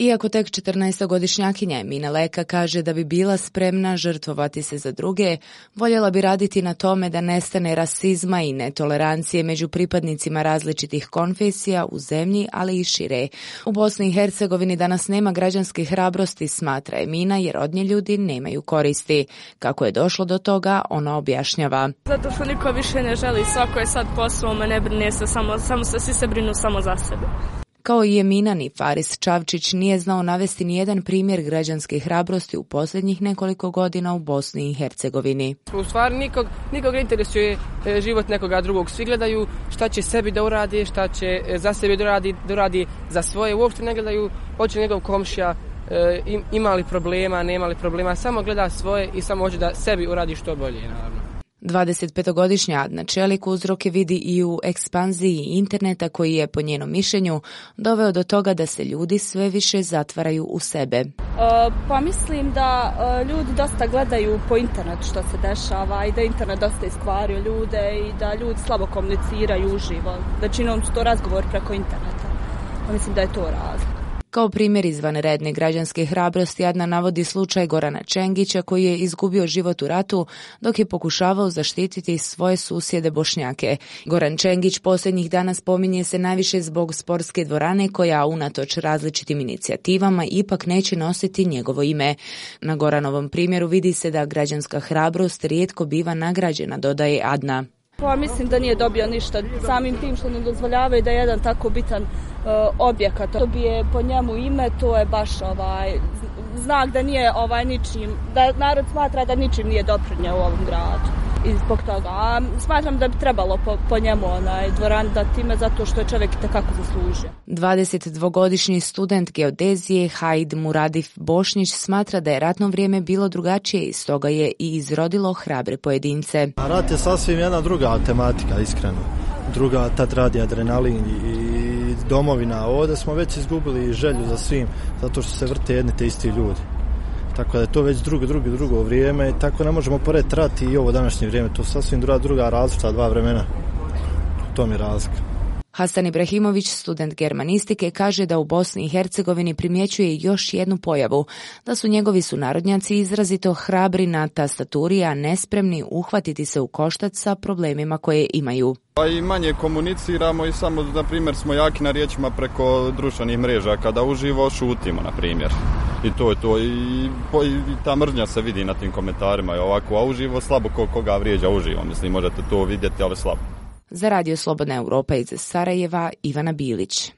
Iako tek 14-godišnjakinja Emina Leka kaže da bi bila spremna žrtvovati se za druge, voljela bi raditi na tome da nestane rasizma i netolerancije među pripadnicima različitih konfesija u zemlji, ali i šire. U Bosni i Hercegovini danas nema građanske hrabrosti, smatra Emina, jer od nje ljudi nemaju koristi. Kako je došlo do toga, ona objašnjava. Zato što niko više ne želi, svako je sad po svome, ne brine se, samo se svi se brinu samo za sebe. Kao i Emina, ni Faris Čavčić nije znao navesti nijedan primjer građanske hrabrosti u posljednjih nekoliko godina u Bosni i Hercegovini. U stvari nikog ne interesuje život nekoga drugog. Svi gledaju šta će sebi da uradi, šta će za sebe da uradi za svoje. Uopšte ne gledaju hoće njegov komšija ima li problema, nema li problema. Samo gleda svoje i samo hoće da sebi uradi što bolje, naravno. 25-godišnja Adna Čelik uzroke vidi i u ekspanziji interneta koji je, po njenom mišljenju, doveo do toga da se ljudi sve više zatvaraju u sebe. Pa mislim da ljudi dosta gledaju po internetu što se dešava i da internet dosta iskvario ljude i da ljudi slabo komuniciraju uživo. Većinom su to razgovori preko interneta. Pa mislim da je to razlog. Kao primjer izvanredne građanske hrabrosti Adna navodi slučaj Gorana Čengića koji je izgubio život u ratu dok je pokušavao zaštititi svoje susjede Bošnjake. Goran Čengić posljednjih dana spominje se najviše zbog sportske dvorane koja unatoč različitim inicijativama ipak neće nositi njegovo ime. Na Goranovom primjeru vidi se da građanska hrabrost rijetko biva nagrađena, dodaje Adna. Pa mislim da nije dobio ništa samim tim što ne dozvoljavaju da jedan tako bitan objekat dobije po njemu ime, to je baš znak da nije ničim, da narod smatra da ničim nije doprinjeo u ovom gradu. I zbog toga smatram da bi trebalo po njemu dvoran dati ime zato što je čovjek itekako zaslužio. 22-godišnji student geodezije Haid Muradif Bošnić smatra da je ratno vrijeme bilo drugačije i stoga je i izrodilo hrabre pojedince. Rat je sasvim jedna druga tematika, iskreno. Druga, tad radi adrenalin i domovina. Ovdje smo već izgubili želju za svim zato što se vrte jedni te isti ljudi. Tako da je to već drugo vrijeme, tako ne možemo porediti rat i ovo današnje vrijeme, to je sasvim druga različita dva vremena, to mi je razlika. Hasan Ibrahimović, student germanistike, kaže da u Bosni i Hercegovini primjećuje još jednu pojavu, da su njegovi sunarodnjaci izrazito hrabri na tastaturi, a nespremni uhvatiti se u koštac sa problemima koje imaju. Pa i manje komuniciramo i samo, na primjer, smo jaki na riječima preko društvenih mreža, kada uživo šutimo, na primjer. I to je to. I ta mržnja se vidi na tim komentarima i ovako, a uživo slabo koga vrijeđa uživo. Mislim, možete to vidjeti, ali slabo. Za Radio Slobodna Europa iz Sarajeva, Ivana Bilić.